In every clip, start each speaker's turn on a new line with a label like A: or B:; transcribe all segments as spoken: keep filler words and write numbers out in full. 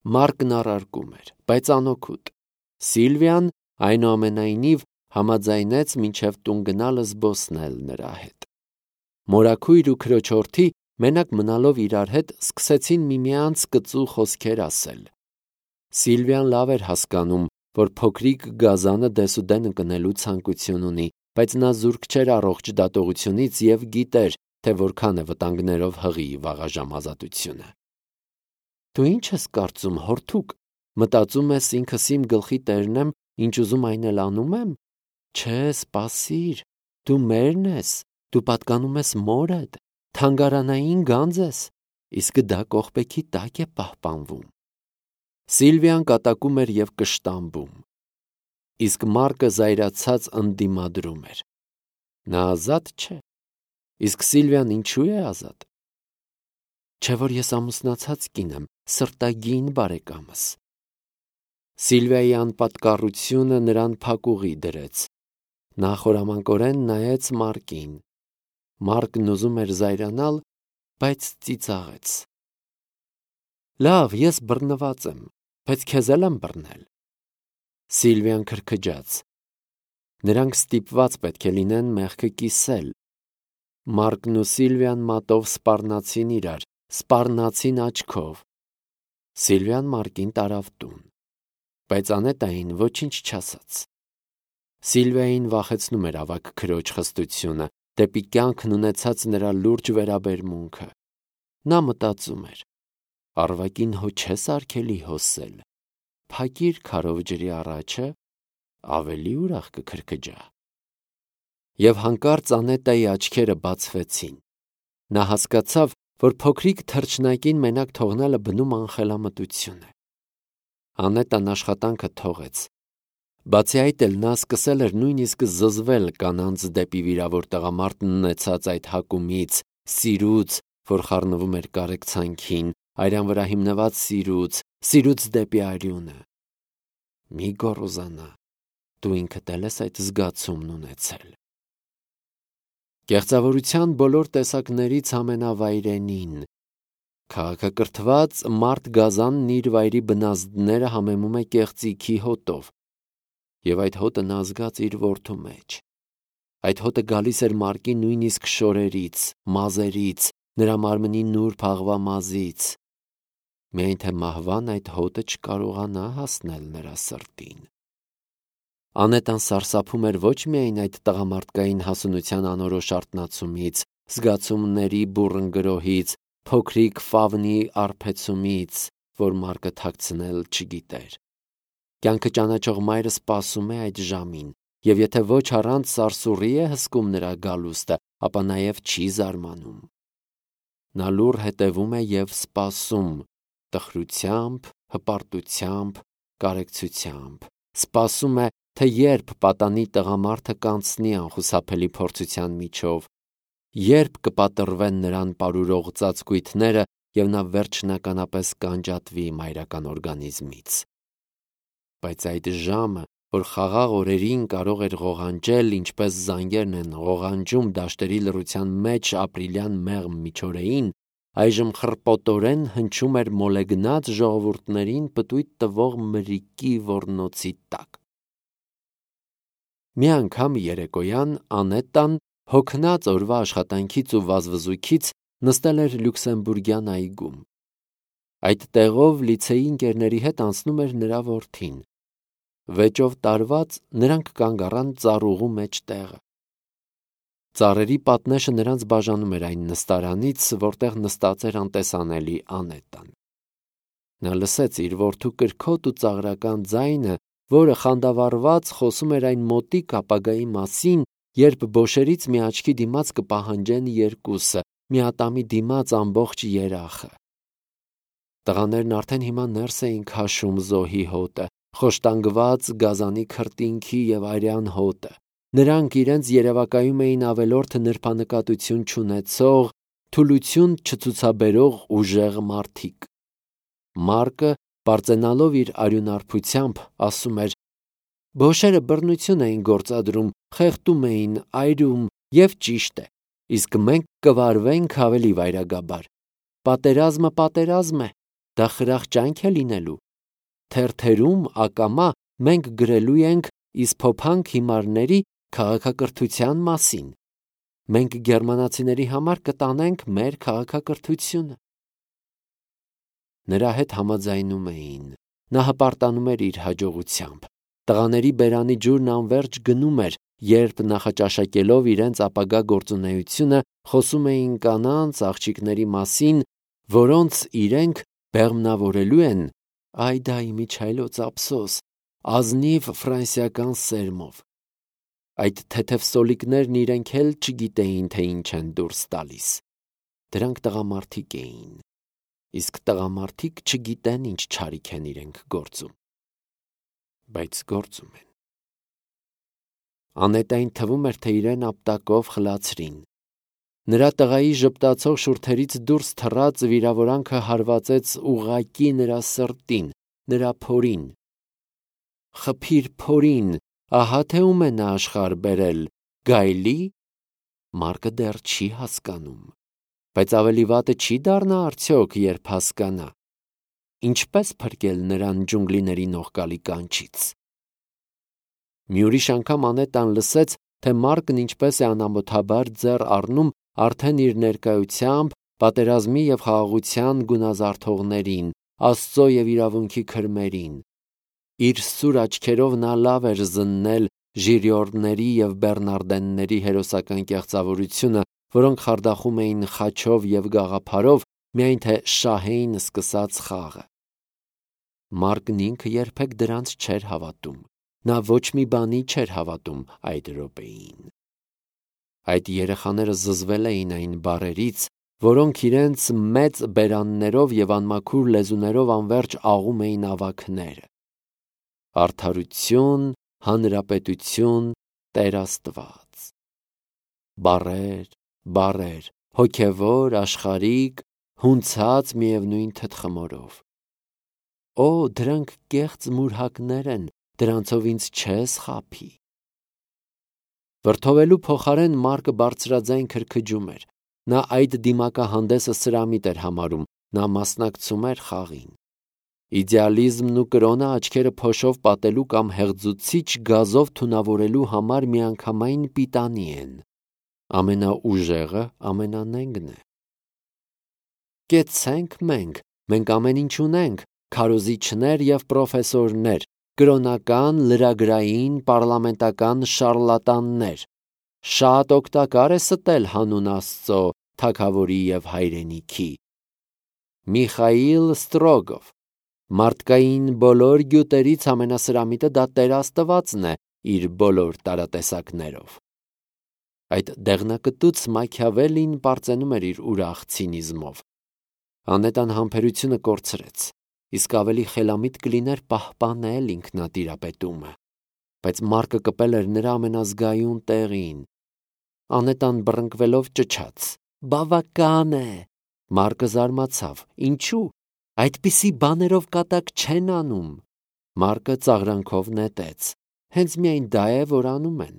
A: Մարկն առարկում էր, բայց անօգուտ։ Սիլվիան այնուամենայնիվ համաձայնեց մինչև տուն գնալը զբոսնել նրա հետ։ Մորաքույր ու քրոջորդի մենակ մնալով իրար հետ սկսեցին միմյանց կծու խոսքեր ասել։ Սիլվիան լավ էր հասկանում, որ փոքրիկ գազանը դեսուդեն ընկնելու ցանկություն ունի, բայց նա զուրկ չէր առողջ դատողությունից և գիտեր, թե որքան է վտանգներով հղի վաղաժամ ազատությունը։ Դու ի՞նչ ես կարծում, հորթուկ, մտածում ես ինքս իմ գլխի տերն եմ, ինչ ուզում այն էլ անում եմ։ Չէ, սպասիր, դու մերն ես, դու պատկանում ես մորդ, թանգարանային գանձ ես, իսկ դա կողպեքի տակ է պահպանվում։ Սիլվիան կատակում էր և կշտամբում, իսկ Մարկը զայրացած ընդդիմադրում էր։ Նա ազատ չէ, իսկ Սիլվիան ինչու է ազատ։ Չէ որ ես ամուսնացած կին եմ, սրտագին բարեկամս։ Սիլվիայի անպատկառությունը նրան փակուղի դրեց։ Նա խորամանկորեն նայեց Մարկին։ Մարկն ուզում էր զայրանալ, բայց ծիծաղեց։ Լավ, ես բռնված եմ, բայց քեզ էլ եմ բռնել։ Սիլվիան քրքջաց։ Նրանք ստիպված պետք է լինեն մեղքը կիսել։ Մարկն ու Սիլվիան մատով սպառնացին իրար, սպառնացին աչքով։ Սիլվիան Մարկին տարավ տուն, բայց Անետային ոչինչ չասաց։ Սիլվիային վախեցնում էր ավագ քրոջ խստությունը, դեպի կյանքն ունեցած նրա լուրջ վերաբերմունքը։ Նա մտածում էր. Առվակին հո չես արգելի հոսել, փակիր քարով ջրի առաջը, ավելի ուրախ կքրքջա։ Եվ հանկարծ Անետայի աչքերը բացվեցին։ Նա հասկացավ, որ փոքրիկ թռչնակին մենակ թողնելը բնում անխելամտություն է։ Անետան աշխատանքը թողեց։ Բացի այդ էլ նա սկսել էր նույնիսկ զզվել կանանց դեպի վիրավոր տղամարդն ունեցած այդ հակումից, սիրուց, որ խառնվում էր կարեկցանքին, արյան վրա հիմնված սիրուց, սիրուց դեպի արյունը։ Մի գոռոզանա, դու ինքդ էլ ես այդ զգացումն ունեցել։ Կեղծավորության բոլոր տեսակներից ամենավայրենին, քաղաքակրթված մարդ գազանն իր վայրի բնազդները համեմում է կեղծիքի հոտով, և այդ հոտը նա զգաց իր որդու մեջ։ Այդ հոտը գալիս էր Մարկի նույնիսկ շորերից, մազերից, նրա մարմնի նուրբ աղվամազից, միայն թե մահվան այդ հոտը չկարողանա հասնել նրա սրտին։ Անետան սարսափում էր ոչ միայն այդ տղամարդկային հասունության անորոշ արթնացումից, զգացումների բուռն գրոհից, փոքրիկ ֆավնի արբեցումից, որ Մարկը թաքցնել չգիտեր։ Կյանքը ճանաչող մայրը սպասում է այդ ժամին, և եթե ոչ առանց սարսուռի է հսկում նրա գալուստը, ապա նաև չի զարմանում։ Նա լուռ հետևում է և սպասում, տխրությամբ, հպարտությամբ, կարեկցությամբ, սպասում է, թե երբ պատանի տղամարդը կանցնի անխուսափելի փորձության միջով, երբ կպատռվեն նրան պարուրող ծածկույթները և նա վերջնականապես կանջատվի մայրական օրգանիզմից։ Բայց այդ ժամը, որ խաղաղ օրերին կարող էր ղողանջել, ինչպես զանգերն են ղողանջում դաշտերի լռության մեջ ապրիլյան մեղմ միջօրեին, այժմ խռպոտորեն հնչում էր մոլեգնած ժողովուրդներին պտույտ տվող մրրիկի ոռնոցի տակ։ Մի անգամ երեկոյան Անետան, հոգնած օրվա աշխատանքից ու վազվզույքից, նստել էր Լյուքսեմբուրգյան այգում։ Այդ տեղով լիցեի ընկերների հետ անցնում էր նրա որդին։ Վեճով տարված նրանք կանգ առան ծառուղու մեջ տեղը։ Ծառերի պատնեշը նրանց բաժանում էր այն նստարանից, որտեղ նստած էր անտեսանելի Անետան։ Նա լսեց իր որդու կրքոտ ու ծաղրական ձայնը, որը խանդավառված խոսում էր այն մոտիկ ապագայի մասին, երբ բոշերից մի աչքի դիմաց կպահանջեն երկուսը, միատամի դիմաց ամբողջ երախը։ Տղաներն արդեն հիմա ներս էին քաշում զոհի հոտը, խոշտանգված գազանի քրտինքի և արյան հոտը։ Նրանք իրենց երևակայում էին ավելորդ նրբանկատություն չունեցող, թուլություն չցուցաբերող ուժեղ մարդիկ։ Մարկը, պարծենալով իր արյունարբությամբ, ասում էր. «Բոշերը բռնություն էին գործադրում, խեղդում էին, այրում, և ճիշտ է, իսկ մենք կվարվենք ավելի վայրագաբար։ Պատերազմը պատերազմ է, դա խրախճանք է լինելու։ Թերթերում ակամա մենք գրելու ենք իսփոփանք հիմարների քաղաքակրթության մասին։ Մենք գերմանացիների համար կտանենք մեր քաղաքակրթությունը։ Նրա հետ համաձայնում էին։ Նա հպարտանում էր իր հաջողությամբ։ Տղաների բերանի ջուրն անվերջ գնում էր, երբ նախաճաշակելով իրենց ապագա գործունեությունը խոսում էին կանանց, աղջիկների մասին, որոնց իրենք բեղմնավորելու են, այ դա իմիջայլոց ափսոս, ազնիվ ֆրանսիական սերմով։ Այդ թեթև սոլիկներն իրենք էլ չգիտեին, թե ինչ են դուրս տալիս։ Դրանք տղամարդիկ էին, իսկ տղամարդիկ չգիտեն ինչ չարիք են իրենք գործում, բայց գործում են։ Անետային թվում էր, թե իրեն ապտակով խլացրին։ Նրա տղայի ժպտացող շուրթերից դուրս թռած վիրավորանքը հարվածեց ուղղակի նրա սրտին, նրա փորին։ Խփիր փորին, ահա թե ում է նա աշխարհ բերել, գայլի։ Մարկը դեռ չի հասկանում, բայց ավելի վատը չի դառնա արդյոք, երբ հասկանա։ Ինչպես փրկել նրան ջունգլիների նողկալի կանչից։ Մի ուրիշ անգամ Անետան լսեց, թե Մարկն ինչպես է անամոթաբար ձեռ առնում արդեն իր ներկայությամբ պատերազմի և խաղաղության գունազարդողներին, Աստծո և իրավունքի քրմերին։ Իր սուր աչքերով նա լավ էր զննել ժիրիորդների և բեռնարդենների հերոսական կեղծավորությունը, որոնք խարդախում էին խաչով և գաղափարով, միայն թե շահեին սկսած խաղը։ Մարկն ինքը երբեք դրանց չէր հավատում։ Նա ոչ մի բանի չէր հավատում այդ րոպեին։ Այդ երեխաները զզվել էին այն բառերից, որոնք իրենց մեծ բերաններով և անմաքուր լեզուներով անվերջ աղում էին ավագները։ Արդարություն, հանրապետություն, Տեր Աստված։ Բառեր, բառեր, հոգևոր, աշխարհիկ, հունցած միևնույն թտխմորով։ Օ, դրանք կեղծ մուրհակներ են, դրանցով ինձ չես խաբի։ Վրդովելու փոխարեն Մարկը բարձրաձայն քրքջում էր։ Նա այդ դիմակահանդեսը սրամիտ էր համարում, նա մասնակցում էր խաղին։ Իդեալիզմն ու կրոնը աչքերը փոշով պատելու կամ հեղձուցիչ գազով թունավորելու համար միանգամայն պիտանի են։ Ամենաուժեղը ամենանենգն է։ Կեցցենք մենք, մենք ամեն ինչ ունենք, քարոզիչներ և պրոֆեսորներ, կրոնական, լրագրային, պարլամենտական շառլատաններ։ Շատ օգտակար է ստել հանուն Աստծո, թագավորի և հայրենիքի։ Միխայիլ Ստրոգով։ Մարդկային բոլոր գյուտերից ամենասրամիտը դա Տեր Աստվածն է իր բոլոր տարատեսակներով։ Այդ դեղնակտուց Մաքիավելին պարծենում էր իր ուրախ ցինիզմով։ Անետան համբերությունը կորցրեց, իսկ ավելի խելամիտ կլիներ պահպանել ինքնատիրապետումը, բայց Մարկը կպել էր նրա ամենազգայուն տեղին։ Անետան բռնկվելով ճչաց. «Բավական է»։ Մարկը զարմացավ. «Ինչու՞։ Այդպիսի բաներով կատակ չեն անում»։ Մարկը ծաղրանքով նետեց. «Հենց միայն դա է, որ անում են։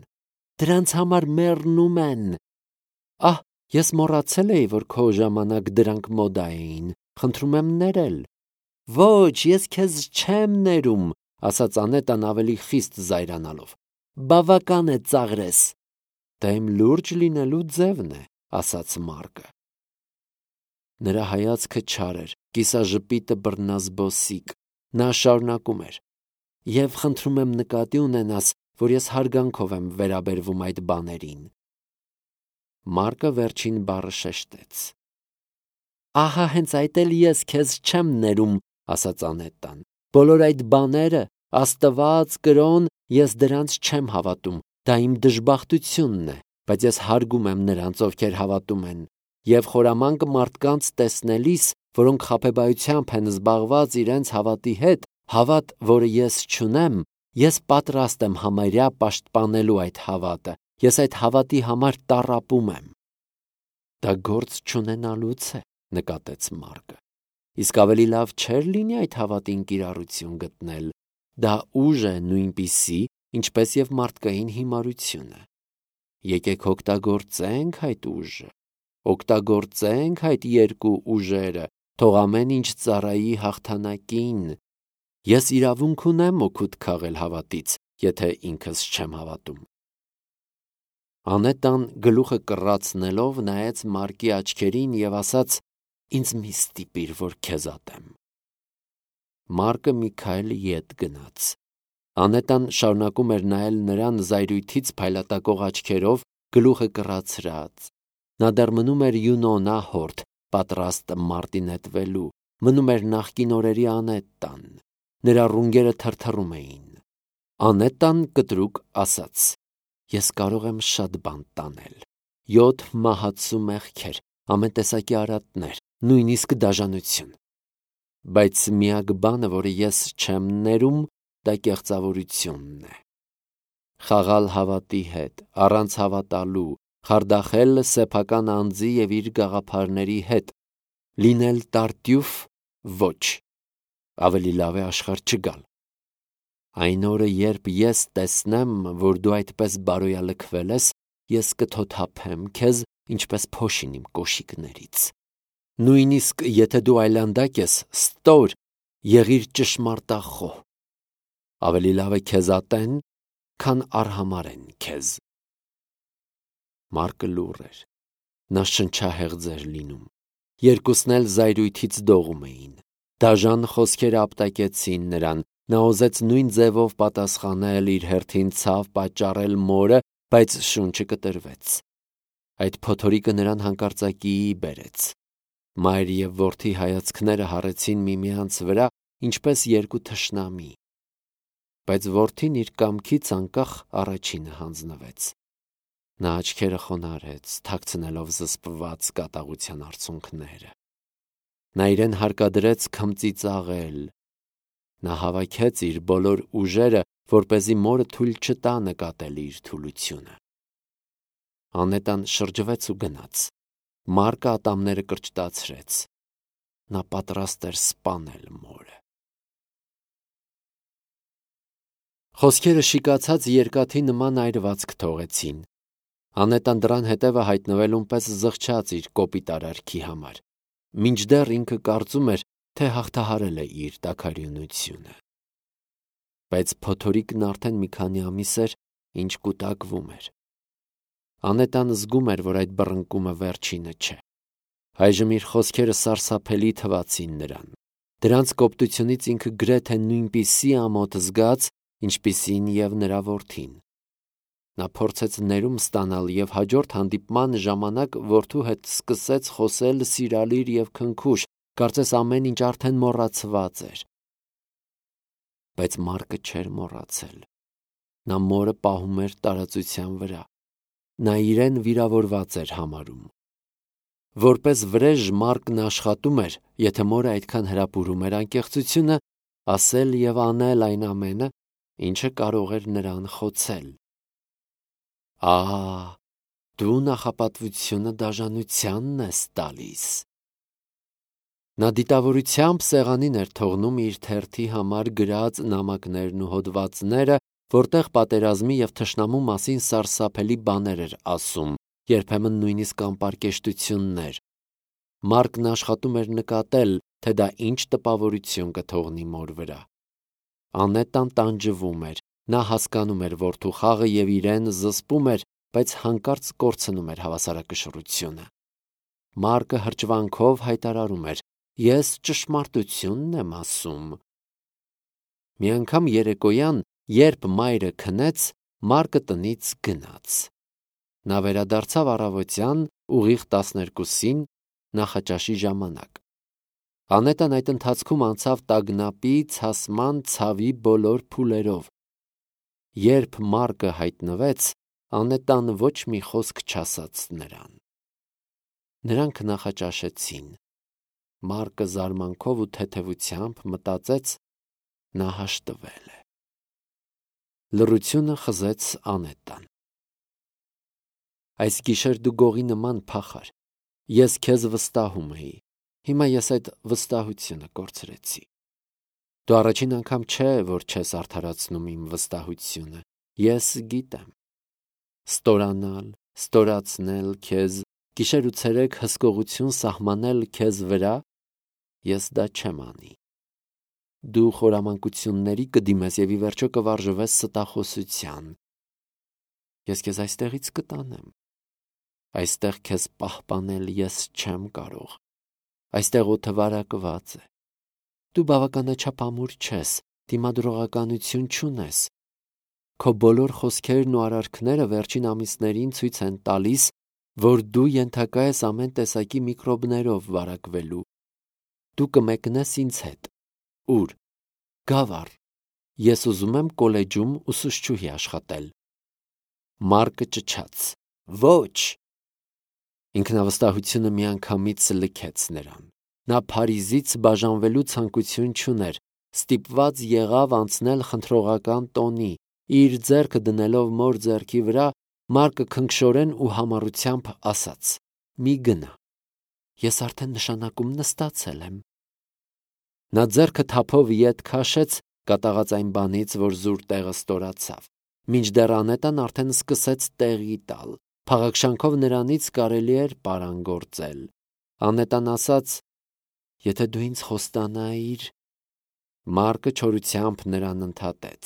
A: Դրանց համար մեռնում են»։ Ահ, ես մոռացել էի, որ քո ժամանակ դրանք մոդա էին, խնդրում եմ ներել։ Ոչ, ես քեզ չեմ ներում, ասաց Անետան ավելի խիստ զայրանալով։ Բավական է ծաղրես։ Դա իմ լուրջ լինելու ձևն է, ասաց Մարկը։ Նրա հայացքը չար էր, կիսաժպիտը բռնազբոսիկ։ Նա շարունակում էր. «Եվ խնդրում եմ նկատի ունենաս, որ ես հարգանքով եմ վերաբերվում այդ բաներին»։ Մարկը վերջին բառը շեշտեց։ Ահա հենց այդ էլ ես քեզ չեմ ներում, ասաց Անետան։ Բոլոր այդ բաները, Աստված, կրոն, ես դրանց չեմ հավատում, դա իմ դժբախտությունն է, բայց ես հարգում եմ նրանց, ովքեր հավատում են, և խորամանկ մարդկանց տեսնելիս, որոնք խաբեբայությամբ են զբաղված իրենց հավատի հետ, հավատ, որը ես չունեմ, ես պատրաստ եմ համարյա պաշտպանելու այդ հավատը, ես այդ հավատի համար տառապում եմ։ Դա գործ չունենալուց է, նկատեց Մարկը։ Իսկ ավելի լավ չէր լինի այդ հավատին կիրառություն գտնել։ Դա ուժ է նույնպիսի, ինչպես և մարդկային հիմարությունը։ Եկեք օգտագործենք այդ ուժը, օգտագործենք այդ երկու ուժերը թող ամեն ինչ ծառայի հաղթանակին։ Ես իրավունք ունեմ օգուտ քաղել հավատից, եթե ինքս չեմ հավատում։ Անետան գլուխը կռացնելով նայեց Մարկի աչքերին և ասաց. «Ինձ մի ստիպիր, որ քեզ ատեմ»։ Մարկը մի քայլ ետ գնաց։ Անետան շարունակում էր նայել նրան զայրույթից փայլատակող աչքերով, գլուխը կռացրած։ Նա դեռ մնում էր Յունոնա հորթ, պատրաստ մարտի նետվելու, մնում էր նախկին օրերի Անետան։ Նրա ռունգերը թրթռում էին։ Անետան կտրուկ ասաց. «Ես կարող եմ շատ բան տանել. յոթ մահացու մեղքեր, ամեն տեսակի արատներ, նույնիսկ դաժանություն։ Բայց միակ բանը, որը ես չեմ ներում, դա կեղծավորությունն է։ Խաղալ հավատի հետ, առանց հավատալու, խարդախել սեփական անձի և իր գաղափարների հետ, լինել տարտյուֆ, ոչ, ավելի լավ է աշխարհ չգալ։ Այն օրը, երբ ես տեսնեմ, որ դու այդպես բարոյալքվել ես, ես կթոթափեմ քեզ, ինչպես փոշին իմ կոշիկներից։ Նույնիսկ եթե դու այլանդակ ես, ստոր, եղիր ճշմարտախոհ։ Ավելի լավ է քեզ ատեն, քան արհամարհեն քեզ»։ Մարկը լուռ էր։ Նա շնչահեղձ էր լինում։ Երկուսն էլ զայրույթից դողում էին։ Դաժան խոսքերը ապտակեցին նրան։ Նա ուզեց նույն ձևով պատասխանել, իր հերթին ցավ պատճառել մորը, բայց շունչը կտրվեց։ Այդ փոթորիկը նրան հանկարծակիի բերեց։ Մայր և որդի հայացքները հառեցին միմյանց վրա, ինչպես երկու թշնամի։ Բայց որդին իր կամքից անկախ առաջինը հանձնվեց։ Նա աչքերը խոնարհեց, թաքցնելով զսպված կատաղության արցունքները։ Նա իրեն հարկադրեց քմծիծաղել։ Նա հավաքեց իր բոլոր ուժերը, որպեսզի մորը թույլ չտա նկատել իր թուլությունը։ Անետան շրջվեց ու գնաց։ Մարկը ատամները կրճտացրեց։ Նա պատրաստ էր սպանել մորը։ Խոսքերը շիկացած երկաթի նման այրվածք թողեցին։ Անետան դռան հետևը հայտնվելուն պես զղջաց իր կոպիտ արարքի համար, մինչդեռ ինքը կարծում էր, թե հաղթահարել է իր տաքարյունությունը։ Բայց փոթորիկն արդեն մի քանի ամիս էր, ինչ կուտակվում էր։ Անետան զգում էր, որ այդ բռնկումը վերջինը չէ։ Այժմ իր խոսքերը սարսափելի թվացին նրան։ Դրանց կոպտությունից ինքը գրեթե նույնպիսի ամոթ զգաց, ինչպիսին և նրա որդին։ Նա փորձեց ներում ստանալ և հաջորդ հանդիպման ժամանակ որդու հետ սկսեց խոսել սիրալիր և քնքուշ, կարծես ամեն ինչ արդեն մոռացված էր։ Բայց Մարկը չէր մոռացել։ Նա մորը պահում էր տարածության վրա։ Նա իրեն վիրավորված էր համարում։ Որպես վրեժ Մարկն աշխատում էր, եթե մորը այդքան հրապուրում էր անկեղծությունը, ասել և անել այն ամենը, ինչը կարող էր նրան խոցել։ Ահա, դու նախապատվությունը դաժանությանն ես տալիս։ Նա դիտավորությամբ սեղանին էր թողնում իր թերթի համար գրած նամակներն ու հոդվածները, որտեղ պատերազմի և թշնամու մասին սարսափելի բաներ էր ասում, երբեմն նույնիսկ անպարկեշտություններ։ Մարկն աշխատում էր նկատել, թե դա ինչ տպավորություն կթողնի մոր վրա։ Անետան տանջվում էր։ Նա հասկանում էր որդու խաղը և իրեն զսպում էր, բայց հանկարծ կորցնում էր հավասարակշռությունը։ Մարկը հրճվանքով հայտարարում էր. «Ես ճշմարտությունն եմ ասում»։ Մի անգամ երեկոյան, երբ մայրը քնեց, Մարկը տնից գնաց։ Նա վերադարձավ առավոտյան, ուղիղ տասներկուսին, նախաճաշի ժամանակ։ Անետան այդ ընթացքում անցավ տագնապի, ցասման, ցավի բոլոր փուլերով։ Երբ Մարկը հայտնվեց, Անետան ոչ մի խոսք չասաց նրան։ Նրանք նախաճաշեցին։ Մարկը զարմանքով ու թեթևությամբ մտածեց. նա հաշտվել է։ Լռությունը խզեց Անետան։ Այս գիշեր դու գողի նման փախար։ Ես քեզ վստահում էի։ Հիմա ես այդ վստահությունը կորցրեցի։ Դու առաջին անգամ չէ, որ չես արդարացնում իմ վստահությունը։ Ես գիտեմ։ Ստորանալ, ստորացնել քեզ, գիշեր ու ցերեկ հսկողություն սահմանել քեզ վրա, ես դա չեմ անի։ Դու խորամանկությունների կդիմես եւ ի վերջո կվարժվես ստախոսության։ Ես քեզ այստեղից կտանեմ։ Այստեղ քեզ պահպանել ես չեմ կարող։ Այստեղ օդը վարակված է։ Դու բավականաչափ ամուր չես, դիմադրողականություն չունես։ Քո բոլոր խոսքերն ու արարքները վերջին ամիսներին ցույց են տալիս, որ դու ենթակա ես ամեն տեսակի միկրոբներով վարակվելու։ Դու կմեկնես ինձ հետ։ Ուր։ Գավառ։ Ես ուզում եմ կոլեջում ուսուցչուհի աշխատել։ Մարկը ճչաց. Ոչ։ Ինքնավստահությունը միանգամից լքեց նրան։ Նա Փարիզից բաժանվելու ցանկություն չուներ, ստիպված եղավ անցնել խնդրողական տոնի, իր ձեռքը դնելով մոր ձեռքի վրա, Մարկը քնքշորեն ու համառությամբ ասաց. մի գնա, ես արդեն նշանակում նստացել եմ։ Նա ձեռքը թափով ետ քաշեց, կատաղած այն բանից, որ զուր տեղը ստորացավ, մինչդեռ Անետան արդեն սկսեց տեղի տալ։ Փաղաքշանքով նրանից կարելի էր պարանգործել։ Անետան ասաց. եթե դու ինձ խոստանայիր։ Մարկը չորությամբ նրան ընդհատեց.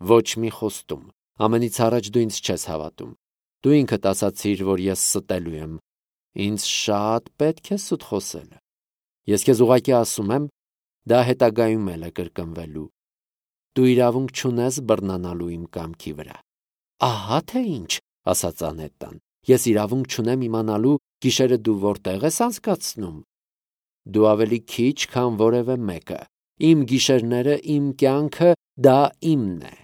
A: ոչ մի խոստում, ամենից առաջ դու ինձ չես հավատում։ Դու ինքդ ասացիր, որ ես ստելու եմ։ Ինձ շատ պետք է սուտ խոսել։ Ես քեզ ուղղակի ասում եմ, դա հետագայում էլ է կրկնվելու։ Դու իրավունք չունես բռնանալու իմ կամքի վրա։ Ահա թե ինչ, ասաց Անետան, ես իրավունք չունեմ իմանալու գիշերը դու որտեղ ես անցկացնում։ Դու ավելի քիչ, քան որևէ մեկը։ Իմ գիշերները, իմ կյանքը, դա իմն է։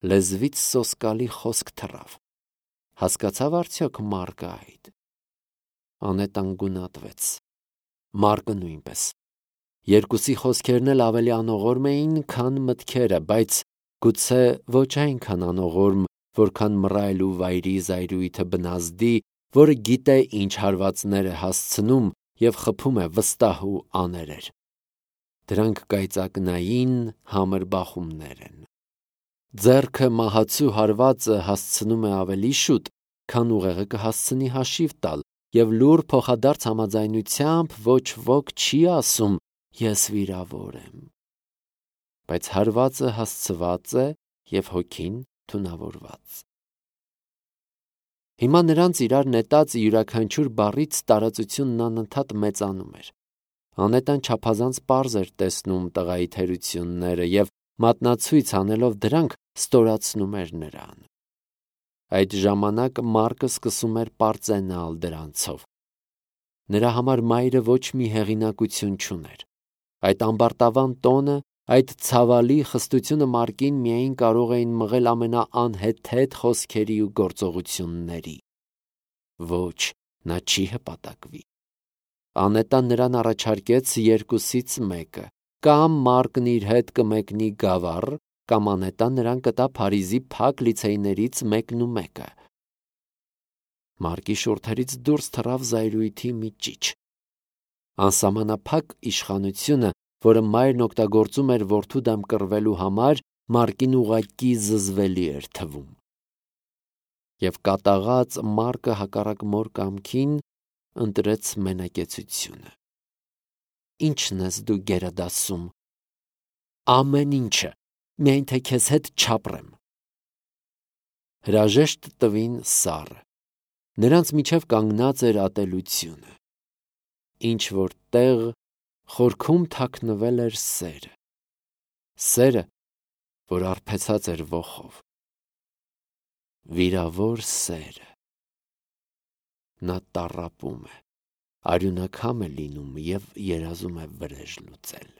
A: Լեզվից սոսկալի խոսք թռավ։ Հասկացավ արդյոք Մարկը այդ։ Անետան գունատվեց։ Մարկը նույնպես։ Երկուսի խոսքերն էլ ավելի անողորմ էին, քան մտքերը, բայց գուցե ոչ այնքան անողորմ, որքան մռայլ ու վայրի զայրույթը բնազդի, որը գիտե ինչ հարվածներ է հասցնում և խփում է վստահ ու աներեր։ Դրանք կայծակնային համր բախումներ են։ Ձեռքը մահացու հարվածը հասցնում է ավելի շուտ, քան ուղեղը կհասցնի հաշիվ տալ, և լուռ փոխադարձ համաձայնությամբ ոչ ոք չի ասում ես վիրավոր եմ։ Բայց հարվածը հասցված է և հոգին թունավորված։ Հիմա նրանց իրար նետած յուրաքանչյուր բառից տարածությունն անընդհատ մեծանում էր։ Անետան չափազանց պարզ էր տեսնում տղայի թերությունները և մատնացույց անելով դրանք ստորացնում էր նրան։ Այդ ժամանակ Մարկը սկսում էր պարծենալ դրանցով։ Նրա համար մայրը ոչ մի հեղինակություն չուներ։ Այդ ամբարտավան տոնը, այդ ցավալի խստությունը Մարկին միայն կարող էին մղել ամենաանհեթեթ խոսքերի ու գործողությունների։ Ոչ, նա չի հպատակվի։ Անետան նրան առաջարկեց երկուսից մեկը. կամ Մարկն իր հետ կմեկնի գավառ, կամ Անետան նրան կտա Փարիզի փակ լիցեյներից մեկն ու մեկը։ Մարկի շուրթերից դուրս թռավ զայրույթի մի ճիչ։ Անսահմանափակ իշխանությունը, որը մայրն օգտագործում էր որդու դեմ կռվելու համար, Մարկին ուղղակի զզվելի էր թվում։ Եվ կատաղած Մարկը հակառակ մոր կամքին ընտրեց մենակեցությունը։ Ի՞նչն ես դու գերադասում։ Ամեն ինչը, միայն թե քեզ հետ չապրեմ։ Հրաժեշտ տվին սառը։ Նրանց միջև կանգնած էր ատելությունը։ Ինչ որ տեղ խորքում թաքնվել էր սերը։ Սերը, որ արբեցած էր ոխով։ Վիրավոր սերը։ Նա տառապում է, արյունակամ է լինում և երազում է վրեժ լուծել։